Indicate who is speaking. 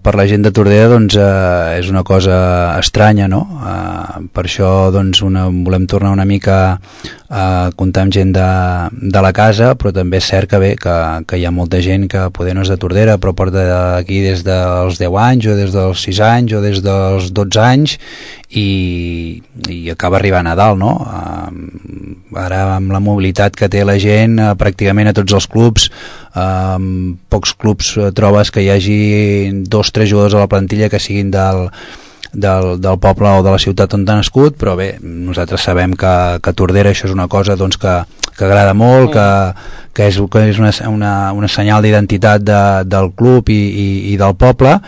Speaker 1: Per la gent de Tordera doncs, és una cosa estranya, no? Per això doncs, volem tornar una mica a comptar amb gent de la casa, però també és cert que hi ha molta gent que poder no és de Tordera però porta aquí des dels 10 anys o des dels 6 anys o des dels 12 anys i acaba arribant a dalt, no? Ara amb la mobilitat que té la gent pràcticament a tots els clubs, pocs clubs trobes que hi hagi 2-3 jugadors a la plantilla que siguin del poble o de la ciutat on han nascut, però bé, nosaltres sabem que Tordera això és una cosa doncs, que agrada molt, que és una senyal d'identitat del club i del poble.